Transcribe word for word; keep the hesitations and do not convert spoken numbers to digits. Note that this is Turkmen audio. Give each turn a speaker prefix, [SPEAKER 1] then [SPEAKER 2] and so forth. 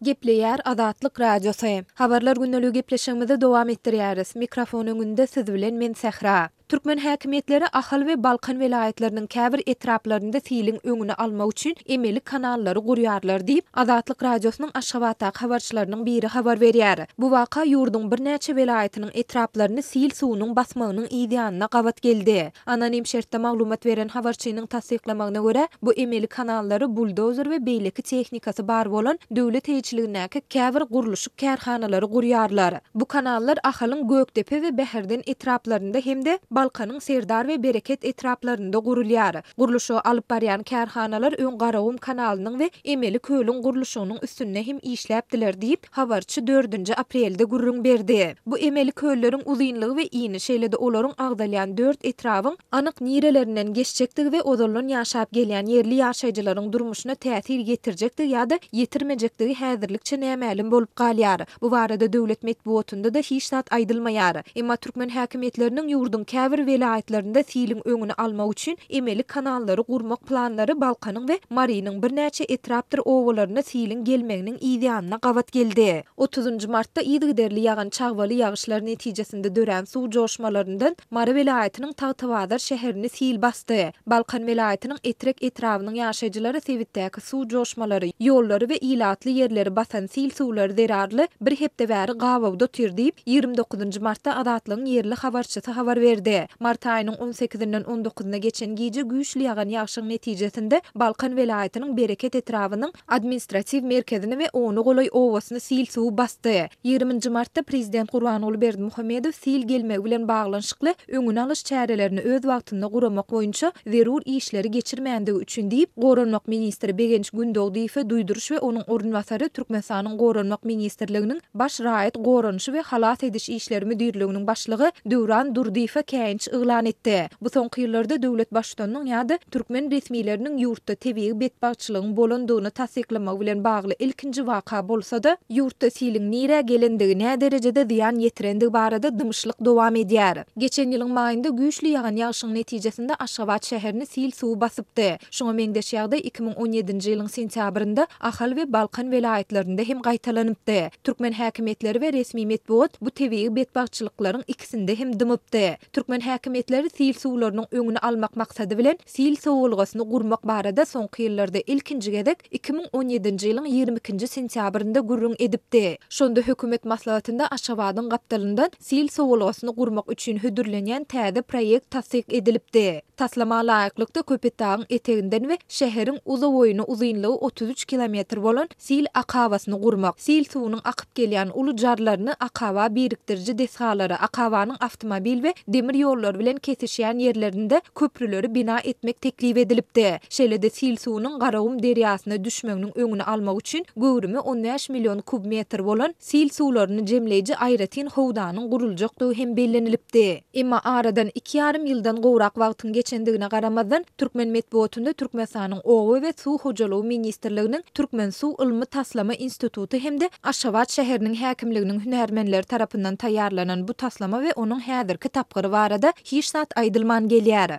[SPEAKER 1] Gepleýär Azatlyk Radiosy. Habarlar gündeligi gepleşigimizi dowam etdirýäris. Mikrofon öňünde siz bilen men Sähra. Türkmen häkimiýetleri Ahal we Balkan welaýatlarynyň käbir etraplarynda siliň öňüni almak üçin emeli kanallary gurýarlar diýip, Azatlyk Radiosynyň Aşgabatdaky habarçylarynyň biri habar berýär. Bu waka ýurduň birnäçe welaýatynyň etraplaryny sil suwunyň basmagynyň yz ýanyna gabat geldi. Anonim şertde maglumat beren habarçynyň tassyklamagyna görä, bu emeli kanallary buldozer we beýleki tehnikasy bar bolan döwlet eýeçiligindäki käbir gurluşyk kärhanalary gurýarlar. Bu kanallar Ahalyň Gökdepe we Bäherden etraplarynda hem-de Balkanyň Serdar we Bereket etraplarynda gurulýar. Gurluşygy alyp barýan kärhanalar öň Garagum kanalynyň we emeli kölüň gurluşygynyň üstünde hem işläpdiler diýip, habarçy dördünji aprelde gürrüň berdi. Bu emeli kölleriň uzynlygy we ini, şeýle-de olaryň agzalýan dört etrabyň anyk nirelerinden geçjekdigi we ozaldan ýaşap gelýän ýerli ýaşaýjylaryň durmuşyna täsir ýetirjekdigi ýa-da ýetirmejekdigi häzirlikçe nämälim bolup galýar. Bu barada döwlet metbugatynda-da hiç zat aýdylmaýar. Emma türkmen häkimiýetleriniň ýurduň käbir welaýatlarynda siliň öňüni almak üçin emeli kanallary gurmak planlary Balkanyň we Marynyň birnäçe etrapdyr obalaryna siliň gelmeginiň yz ýanyna gabat geldi. Otuzynjy martda yzygiderli ýagan çagbaly ýagyşlar netijesinde dörän suw joşmalaryndan Mary welaýatynyň Tagtabazar şäherini sil basdy. Balkan welaýatynyň Etrek etrabynyň ýaşaýjylary sebitdäki suw joşmalary, ýollary we ilatly ýerleri basan sil suwlary zerarly bir hepde bäri gabawda otyr diýip, ýigrimi dokuzynjy martda Azatlygyň ýerli habarçysy habar berdi. Mart aýynyň on sekizinden on dokuzyna geçen gije güýçli ýagan ýagşyň netijesinde Balkan welaýatynyň Bereket etrabynyň administratiw merkezini we ona golaý obasyny sil suwy basdy. Ýigriminji martda prezident Gurbanguly Berdimuhamedow sil gelmegi bilen baglanyşykly öňüni alyş çärelerini öz wagtynda guramak boýunça zerur işleri geçirmändigi üçin diýip, Goranmak ministri Begenç Gündogdyýewe duýduryş we onuň orunbasary Türkmenistanyň Goranmak ministrliginiň Baş raýat goranyşy we halas ediş işleri müdirliginiň başlygy Döwran Durdyýewe käýinç yglan etdi. Bu soňky ýyllarda döwlet baştutanynyň ýa-da türkmen resmileriniň ýurtda tebigy betbagtçylygyň bolandygyny tassyklamagy bilen bagly ilkinji waka bolsa-da, ýurtda siliň nirä gelendigi, näderejede zyýan ýetirendigi barada dymyşlyk dowam edýär. Geçen ýylyň maýynda güýçli ýagan ýagşyň netijesinde Aşgabat şäherini sil suwy basypdy. Şuňa meňzeş ýagdaý iki müň on ýedinji ýylyň sentýabrynda Ahal we Balkan welaýatlarynda hem gaýtalanypdy. Türkmen häkimiýetleri we resmi metbugat bu tebigy betbagtçylyklaryň ikisinde hem dymypdy. Türkmen häkimiýetleri sil suwlarynyň öňüni almak maksady bilen sil sowalgasyny gurmak barada soňky ýyllarda ilkinji gezek iki müň on ýedinji ýylyň ýigrimi ikinji sentýabrynda gürrüň edipdi. Şonda hökümet maslahatynda Aşgabadyň gapdalyndan sil sowalgasyny gurmak üçin hödürlenýän täze proýekt tassyk edilipdi. Taslama laýyklykda Köpetdagyň eteginden we şäheriň uzaboýuna uzynlygy otuz üç kilometr bolan sil akabasyny gurmak, sil suwunyň akyp gelýän uly jarlaryny akaba birikdiriji desgalary, akabanyň awtomobil we demir ýollary bilen kesişýän ýerlerinde köprüleri bina etmek teklip edilipdi. Şeýle-de sil suwunyň Garagum derýasyna düşmeginiň öňüni almak üçin göwrümi on bäş million kub metr bolan sil suwlaryny jemleýji aýratyn howdanyň guruljakdygy hem bellenilipdi. Emma aradan iki ýarym ýyldan gowrak wagtyň geçendigine garamazdan, türkmen metbugatynda Türkmenistanyň Oba we suw hojalygy ministrliginiň Türkmensuw ylmy-taslama instituty hem-de Aşgabat şäheriniň häkimliginiň hünärmenleri tarapyndan taýýarlanan bu taslama we onuň häzirki tapgyry barada hiç zat aýdylman gelýär.